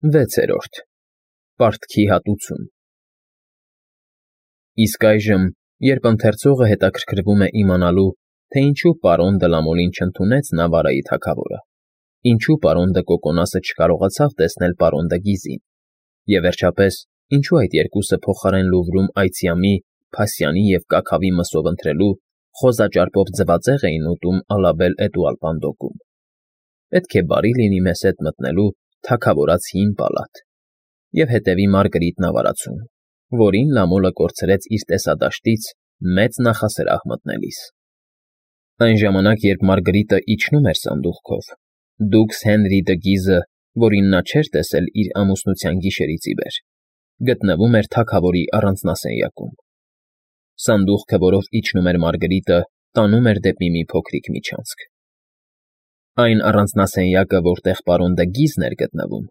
6-րդ Պարտքի հատուցում Իսկ այժմ, երբ ընթերցողը հետաքրքրվում է իմանալու, թե ինչու պարոն Դլամոլին չընդունեց Նավարայի թագավորը, ինչու պարոն Դը Կոկոնասը չկարողացավ տեսնել պարոն Դը Գիզին, և վերջապես, ինչու այդ երկուսը փոխարեն Լուվրում այցյամի, փասյանի և կաքավի մսով ընթրելու, խոզաճարպով ձվածեղ էին ուտում Ալաբել֊Էտուալպանդոկում, պետք է բարի լինի մեզ հետ մտնելու թագավորած հին պալատ և հետևի Մարգրիտ նավարացուն, որին Լամոլը կորցրեց իր տեսադաշտից մեծ նախասրահ մտնելիս։ Այն ժամանակ, երբ Մարգրիտը իջնում էր սանդուղքով, դուքս Հենրի Դը Գիզը, որին նա չէր տեսել իր ամուսնության գիշերից ի վեր, գտնվում էր թագավորի առանձնասենյակում։ Սանդուղքը, որով իջնում էր Մարգրիտը, տանում էր դեպի մի փոքրիկ միջանցք։ Այն առանձնասենյակը, որտեղ պարոն Դը Գիզն էր գտնվում,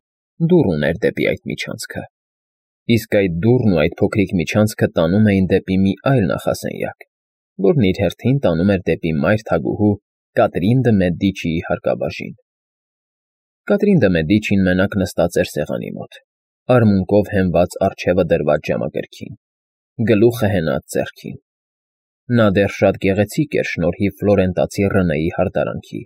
դուռ ուներ դեպի այդ միջանցքը, իսկ այդ դուռն ու այդ փոքրիկ միջանցքը տանում էին դեպի մի այլ նախասենյակ, որն իր հերթին տանում էր դեպի մայր թագուհու Կատրին դը Մեդիչիի հարկաբաժին։ Կատրին դը Մեդիչին մենակ նստած էր սեղանի մոտ, արմունկով հենված առջևը դրված ժամակերքին, գլուխը հենած ձեռքին։ Նա դեռ շատ գեղեցիկ էր շնորհիվ ֆլորենտացի Ռնեի հարդարանքի,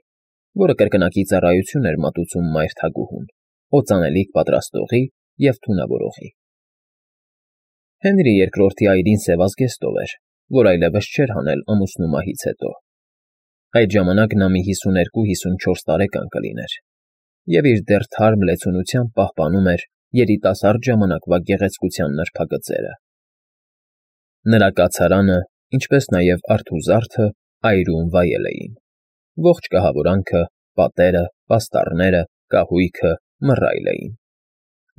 որը կրկնակի ծառայություն էր մատուցում մայր թագուհուն, օծանելիք պատրաստողի և թունավորողի։ Հենրի II այրին սևազգեստով էր, որ այլևս չէր հանել ամուսնու մահից հետո։ Այդ ժամանակ նա մի 52-54 տարեկան կլիներ, և իր դեռ թարմ լեցունությամբ պահպանում էր երիտասարդ ժամանակվա գեղեցկության նրբագծերը։ Նրա կացարանը, ինչպես նաև արթուզարդը այրում վայել էին, ողջ կահավորանքը, պատերը, պաստառները, կահույքը, մռայլ էին։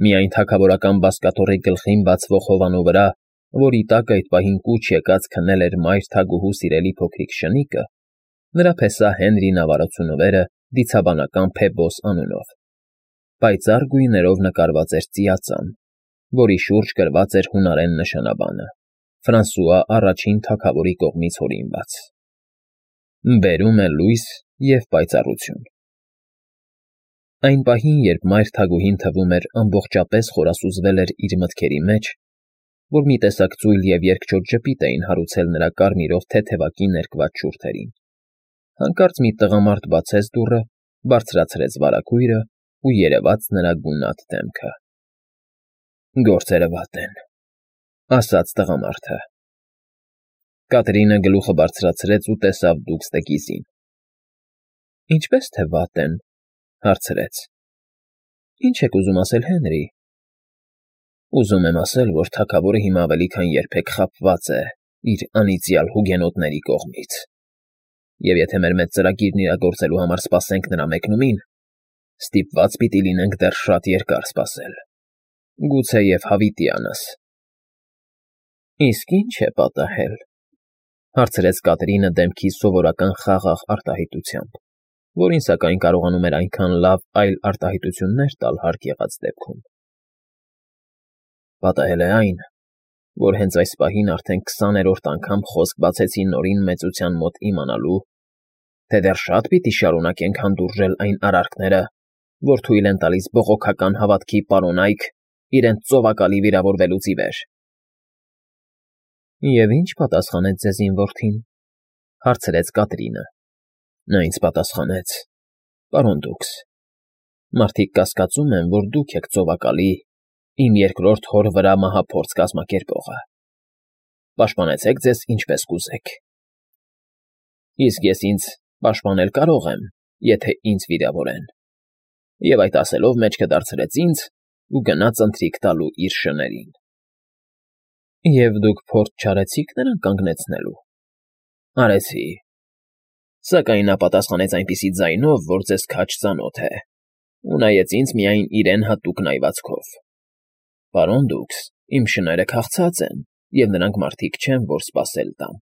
Միայն թագավորական բազկաթոռի գլխին բացվող հովանու վրա, որի տակ այդ պահին կուչ եկած քնել էր մայր թագուհու սիրելի փոքրիկ շնիկը, նրա փեսա Հենրի նավարացունովերը դիցաբանական Փեբոս անունով, պայծառ գույներով նկարված էր ծիածան, որի շուրջ գրված էր հունարեն նշանաբանը. Ֆրանսուଆ առաջին թագավորի կողմից հորինված. Բերում է լույս և պայծառություն։ Այն պահին, երբ մայր թագուհին թվում էր ամբողջապես խորասուզվել էր իր մտքերի մեջ, որ մի տեսակ ծույլ և երկչոտ ժպիտ էին հարուցել նրա կարմիրով թեթևակի ներկված շուրթերին, հանկարծ մի տղամարդ բացեց դուռը, բարձրացրեց վարագույրը ու երևաց նրա գունատ դեմքը։ Գործերը վատ են, ասաց տղամարդը։ Կատրինը գլուխը բարձրացրեց ու տեսավ դուքս Դը Գիզին։ Ինչպես թե վատ են, հարցրեց։ Ինչ եք ուզում ասել, Հենրի։ Ուզում եմ ասել, որ թագավորը հիմա ավելի քան երբեք խաբված է իր անիծյալ հուգենոտների կողմից, և եթե մեր մեծ ծրագիրն իրագործելու համար սպասենք նրա մեկնումին, ստիպված պիտի լինենք դեռ շատ երկար սպասել, գուցեև հավիտյանս։ Իսկ ի՞նչ է պատահել, հարցրեց Կատրինը դեմքի սովորական խաղաղ արտահայտությամբ, որին սակայն կարողանում էր այնքան լավ այլ արտահայտություններ տալ հարկ եղած դեպքում։ Պատահել է այն, որ հենց այս պահին արդեն 20-րդ անգամ խոսք բացեցի Նորին մեծության մոտ իմանալու, թե դեռ շատ պիտի շարունակենք հանդուրժել այն արարքները, որ թույլ են տալիս բողոքական հավատքի պարոնայք իրենց ծովակալի վիրավորվելուց ի վեր։ Եվ ի՞նչ պատասխանեց ձեզ իմ որդին, հարցրեց Կատրինը։ Նա ինձ պատասխանեց. Պարոն դուքս, մարդիկ կասկածում են, որ դուք եք ծովակալի, իմ երկրորդ հոր վրա մահափորձ կազմակերպողը։ Պաշտպանեցեք ձեզ ինչպես կուզեք։ Իսկ ես ինձ պաշտպանել կարող եմ, եթե ինձ վիրավորեն։ Եվ այդ ասելով մեջքը դարձրեց ինձ ու գնաց ընթրիք տալու իր շներին։ Եվ դուք փորձ չարեցի՞ք նրան կանգնեցնելու։ Արեցի։ Սակայն նա պատասխանեց այնպիսի ձայնով, որ ձեզ քաջ ծանոթ է, ու նայեց ինձ միայն իրեն հատուկ նայվածքով։ Պարոն դուքս, իմ շները քաղցած են, և նրանք մարդիկ չեն, որ սպասել տան։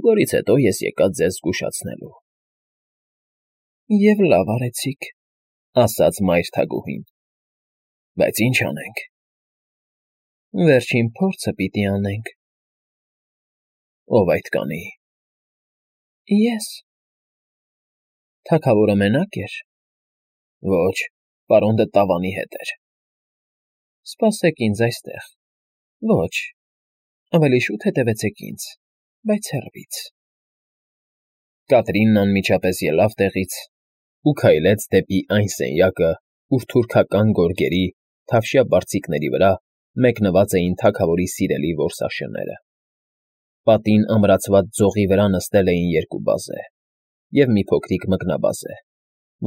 Որից հետո ես եկա ձեզ զգուշացնելու։ Եվ լավ արեցիք, ասաց մայր թագուհին։ Բայց ինչ անենք։ Վերջին փորձը պիտի անենք։ Ով այդ կանի։ Ես։ Թագավորը մենակ էր։ Ոչ, պարոն Դը Տավանի հետ էր։ Սպասեք ինձ այստեղ։ Ոչ, ավելի շուտ հետևեցեք ինձ, բայց հեռվից։ Կատրինն անմիջապես ելավ տեղից ու քայլեց դեպի այն սենյակը, ուր թուրքական գորգերի, թավշյա բարձիկների վրա մեկնված էին թագավորի սիրելի որսաշները։ Պատին ամրացված ձողի վրա նստել էին երկու բազե և մի փոքրիկ մկնաբազե,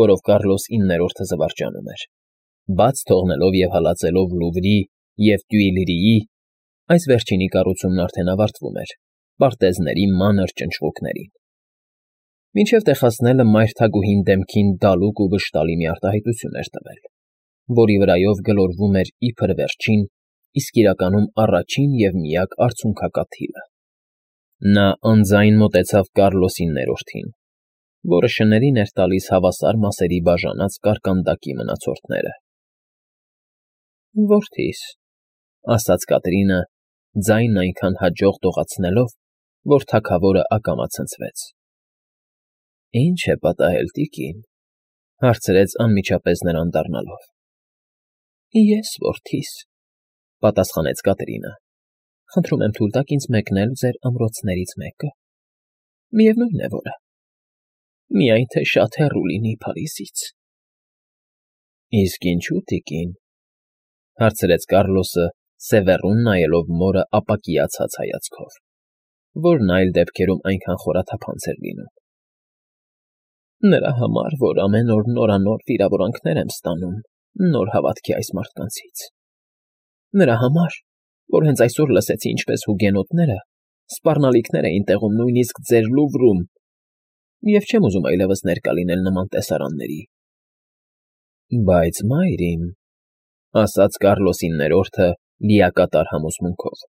որով Կարլոս 9-րդը զվարճանում էր, բաց թողնելով և հալածելով Լուվրի և Տյուիլրիի (այս վերջինի կառուցումն արդեն ավարտվում էր) պարտեզների մանր ճնճղուկներին։ Մինչև տեղացնելը մայր թագուհին դեմքին դալուկ ու վշտալի մի արտահայտություն էր տվել, որի վրայով գլորվում էր իբր վերջին, իսկ իրականում առաջին և միակ արցունքակաթիլը։ Նա անձայն մոտեցավ Կարլոս 9-րդին, որը շներին էր տալիս հավասար մասերի բաժանած կարկանդակի մնացորդները։ «Որդիս», ասաց Կատրինը, ձայնն այնքան հաջող դողացնելով, որ թագավորը ակամա ցնցվեց։ «Ի՞նչ է պատահել, տիկին», հարցրեց անմիջապես նրան դառնալով։ «Ես, որդիս», պատասխանեց Կատրինը, «խնդրում եմ թույլ տաք ինձ մեկնել ձեր ամրոցներից մեկը, միևնույն է որը, միայն թե շատ հեռու լինի Փարիզից»։ «Իսկ ինչո՞ւ, տիկին», հարցրեց Կարլոսը, սևեռուն նայելով մորը ապակիացած հայացքով, որն այլ դեպքերում այնքան խորաթափանց էր լինում։ «Նրա համար, որ ամեն օր նորանոր վիրավորանքներ եմ ստանում նոր հավատքի այս մարդկանցից։ Նրա համար, որ հենց այսօր լսեցի, ինչպես հուգենոտները սպառնալիքներ էին տեղում նույնիսկ ձեր Լուվրում, և չեմ ուզում այլևս ներկա լինել նման տեսարանների»։ «Բայց, մայր իմ», ասաց Կարլոս 9-րդը լիակատար համոզմունքով,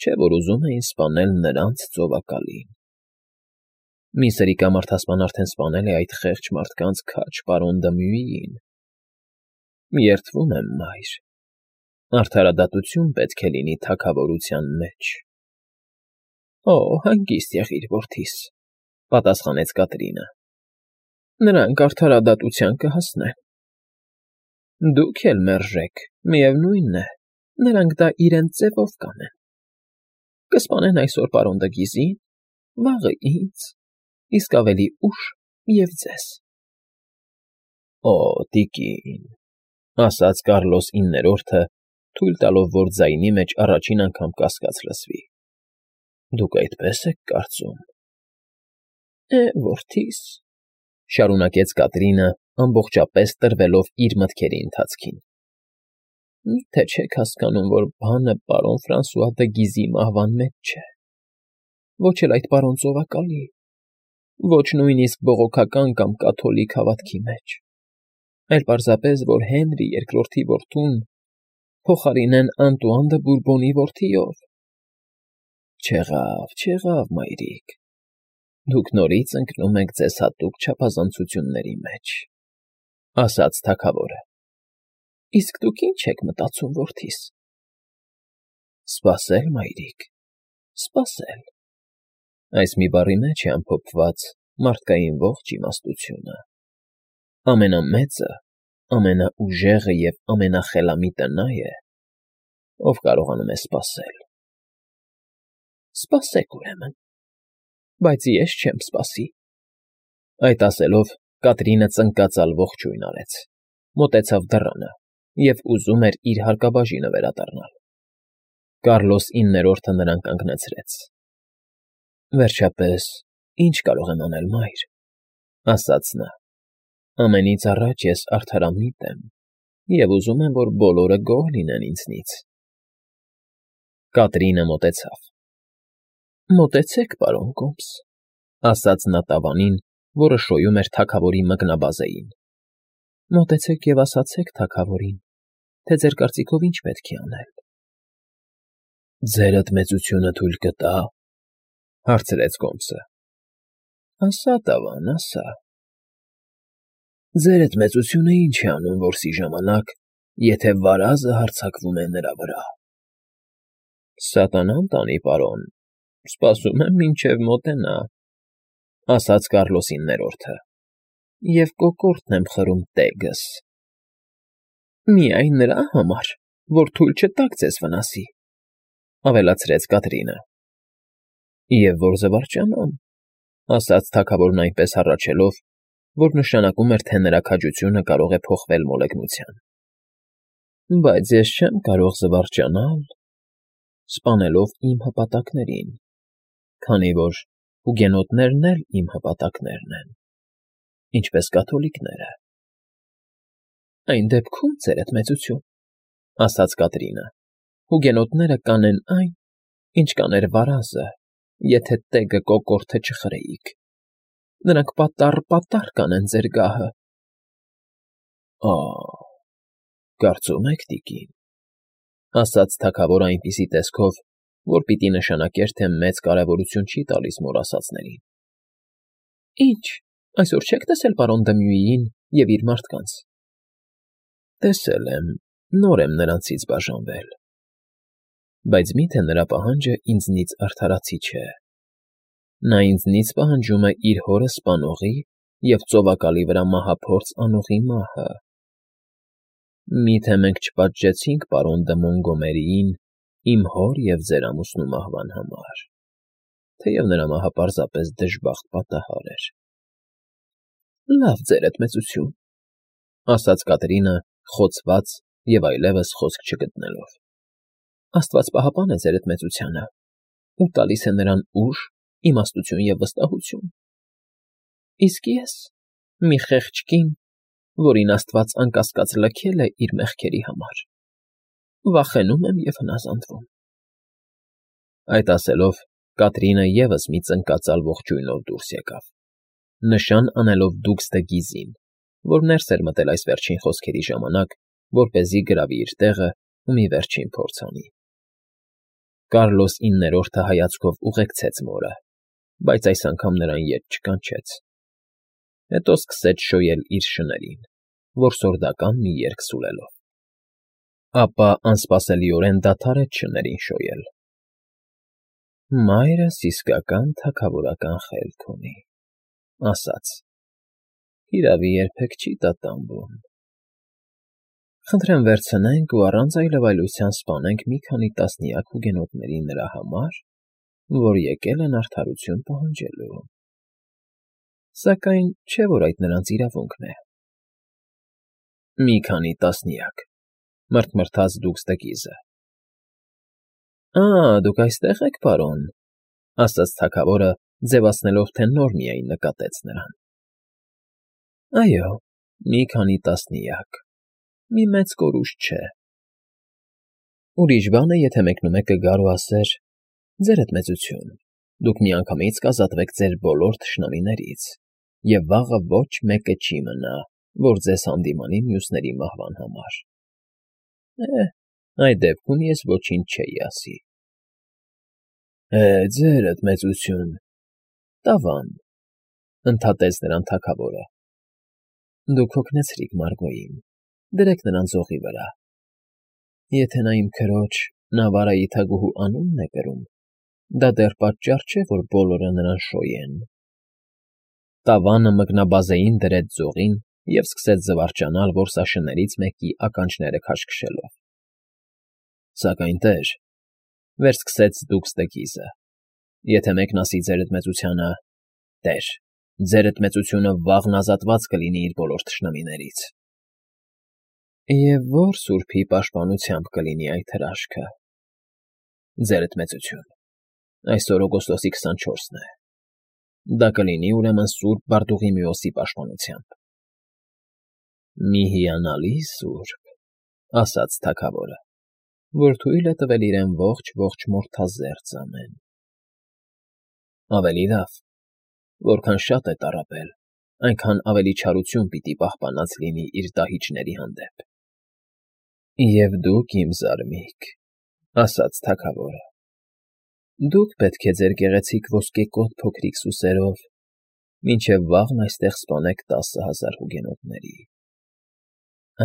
«չէ՞ որ ուզում էին սպանել նրանց ծովակալին»։ «Մի սրիկամարդասպան արդեն սպանել է այդ խեղճ մարդկանց քաջ պարոն Դմյուիին։ Երդվում եմ, մայր, արդարադատություն պետք է լինի թագավորության մեջ»։ «Օ, հանգիստ եղիր, որդիս», պատասխանեց Կատրինը, «նրանք արդարադատության կհասնեն»։ «Դուք էլ մերժեք, միևնույն է, նրանք դա իրենց ձևով կանեն։ Կսպանեն այսօր պարոն Դգիզին, վաղը ինձ, իսկ ավելի ուշ և ձեզ»։ «Օ, տիկին», ասաց Կարլոս 9-րդը, թույլ տալով, որ ձայնի մեջ առաջին անգամ կասկած լսվի, «դուք այդպես եք կարծում»։ Որդիս», շարունակեց Կատրինը, ամբողջապես տրվելով իր մտքերի ընթացքին, «միթե չեք հասկանում, որ բանը պարոն Ֆրանսուଆ Դգիզի մահվան մեջ չէ, ոչ էլ այդ պարոն ծովակալի, ոչ նույնիսկ բողոքական կամ կաթոլիկ հավատքի մեջ, այլ պարզապես, որ Հենրի II որդուն փոխարինեն Անտուան դը Բուրբոնի որդիով»։ Չեղավ, մայրիկ, դուք նորից ընկնում եք ձեզ հատուկ չափազանցությունների մեջ, ասաց թագավորը։ «Իսկ դուք ի՞նչ եք մտածում, որդիս»։ «Սպասել, մայրիկ, սպասել։ Այս մի բառի մեջ է ամփոփված մարդկային ողջ իմաստությունը։ Ամենամեծը, ամենաուժեղը և ամենախելամիտը նա է, ով կարողանում է սպասել»։ «Սպասեք, ուրեմն, բայց ես չեմ սպասի»։ Այդ ասելով Կատրինը ծնկածալ ողջույն արեց, մոտեցավ դռանը և ուզում էր իր հարկաբաժինը վերադառնալ։ Կարլոս 9-րդը նրան կանգնեցրեց։ «Վերջապես, ի՞նչ կարող եմ անել, մայր», ասաց նա։ «Ամենից առաջ ես արդարամիտ եմ և ուզում եմ, որ բոլորը գոհ լինեն ինձնից»։ Կատրինը մոտեցավ։ «Մոտեցեք, պարոն կոմս», ասաց նա տավանին, որը շոյում էր թագավորի մկնաբազեին։ «Մոտեցեք և ասացեք թագավորին, թե ձեր կարծիքով ինչ պետք է անել»։ «Ձերդ մեծությունը թույլ կտա՞, հարցրեց կոմսը։ «Ասա, տավան, ասա»։ «Ձերդ մեծությունը ինչ է անում որսի ժամանակ, եթե վարազը հարձակվում է նրա վրա»։ «Սատանան տանի, պարոն, սպասում եմ, մինչև մոտենա», ասաց Կարլոս 9-րդը, «և կոկորդն եմ խրում տեգս»։ «Միայն նրա համար, որ թույլ չտաք ձեզ վնասի, ավելացրեց Կատրինը։ Եվ որ զվարճանամ, ասաց թագավորն այնպես հառաչելով, որ նշանակում էր, թե նրա քաջությունը կարող է փոխվել մոլեգնության։ Բայց ես չեմ կարող զվարճանալ, սպանելով իմ հպատակներին, քանի որ հուգենոտներն էլ իմ հպատակներն են, ինչպես կաթոլիկները։ Այն դեպքում, ձերդ մեծություն, ասաց Կատրինը, հուգենոտները կանեն այն, ինչ կաներ վարազը, եթե տեգը կոկորդը չխրեիք. նրանք պատառ կանեն ձեր գահը։ Կարծում եք, տիկին, ասաց թագավորը այնպիսի տեսքով, որ պիտի նշանակեր, թե մեծ կարևորություն չի տալիս մոռասածներին։ Ինչ, այսօր չեք տեսել պարոն Դմյուիին և իր մարդկանց։ Տեսել եմ, նոր եմ նրանցից բաժանվել, բայց միթե նրա պահանջը ինձնից արդարացի չէ։ Նա ինձնից պահանջում է իր հորը սպանողի և ծովակալի վրա մահափորձ անողի մահը։ Միթե մենք չպատժեցինք պարոն դը Մոնգոմերիին իմ հոր և ձեր ամուսնու մահվան համար, թեև նրա մահը պարզապես դժբախտ պատահար էր։ Լավ, ձերդ մեծություն, ասաց Կատրինը, խոցված և այլևս խոսք չգտնելով։ Աստված պահապան է ձերդ մեծությանը ու տալիս է նրան ուժ, իմաստություն և վստահություն։ Իսկ ես մի խեղճ կին, որին Աստված անկասկած լքել է իր մեղքերի համար, վախենում եմ և հնազանդվում։ Այդ ասելով, Կատրինը ևս մի ծնկածալ ողջույնով դուրս եկավ, նշան անելով դուքստը Գիզին, որ ներս էր մտել այս վերջին խոսքերի ժամանակ, որպեսզի գրավի իր տեղը ու մի վերջին փորձ անի։ Կարլոս IX-ը հայացքով ուղեկցեց մորը, բայց այս անգամ նրան ետ չկանչեց։ Հետո սկսեց շոյել իր շներին, որսորդական մի երգ սուլելով։ Ապա անսպասելիորեն դադարեց շներին շոյել։ Մայրս իսկական թագավորական խելք ունի, ասաց. հիրավի երբեք չի տատանվում։ Խնդրեմ վերցնենք ու առանց այլևայլության սպանենք մի քանի տասնյակ հուգենոտների նրա համար, որ եկել են արդարություն պահանջելու։ Սակայն չէ՞ որ այդ նրանց իրավունքն է։ Մի քանի տասնյակ, մռթմռթաց դուքստը Գիզը։ Դուք այստեղ եք, պարոն, ասաց թագավորը, ձևացնելով, թե նոր միայն նկատեց նրան։ Այո, մի քանի տասնյակ, մի մեծ կորուստ չէ։ Ուրիշ բան է, եթե մեկնումեկը գար ու ասեր. ձերդ մեծություն, դուք միանգամից կազատվեք ձեր բոլոր թշնամիներից, և վաղը ոչ մեկը չի մնա, որ ձեզ հանդիմանի մյուսների մահվան համար։ Այդ դեպքում ես ոչինչ չէի ասի։ Ձերդ մեծություն, տավան, ընդհատեց նրան թագավորը։ Դուք հոգնեցրիք Մարգոյին, դրեք նրան ձողի վրա։ Եթե նա իմ քրոջ Նավարայի թագուհու անունն է կրում, դա դեռ պատճառ չէ, որ բոլորը նրան շոյեն։ Տավանը մկնաբազեին դրեց ձողին և սկսեց զվարճանալ որսաշներից մեկի ականջները քաշքշելով։ Սակայն տեր, վերսկսեց դուքստը Գիզը, եթե մեկն ասի ձերդ մեծությանը. տեր, ձերդ մեծությունը վաղն ազատված կլինի իր բոլոր թշնամիներից։ Եվ ո՞ր սուրբի պաշտպանությամբ կլինի այդ հրաշքը։ Ձերդ մեծություն, այսօր օգոստոսի 24-ն է։ Դա կլինի ուրեմն Սուրբ Բարդուղիմեոսի պաշտպանությամբ։ Մի հիանալի սուրբ, ասաց թագավորը, որ թույլ է տվել իրեն ողջ մորթազերծ անեն։ Ավելի լավ, որքան շատ է տառապել, այնքան ավելի չարություն պիտի պահպանած լինի իր դահիճների հանդեպ։ Եվ դուք, իմ զարմիկ, ասաց թագավորը, դուք պետք է ձեր գեղեցիկ ոսկեկոտ փոքրիկ սուսերով մինչև վաղն այստեղ սպանեք 10,000 հուգենոտների։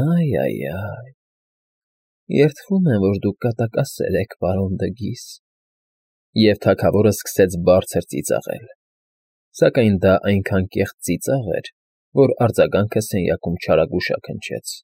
Այ, երդվում եմ, որ դուք կատակասեր եք, պարոն դը Գիզ։ Եվ թագավորը սկսեց բարձր ծիծաղել, սակայն դա այնքան կեղծ ծիծաղ էր, որ արձագանքը սենյակում չարագուշակ հնչեց։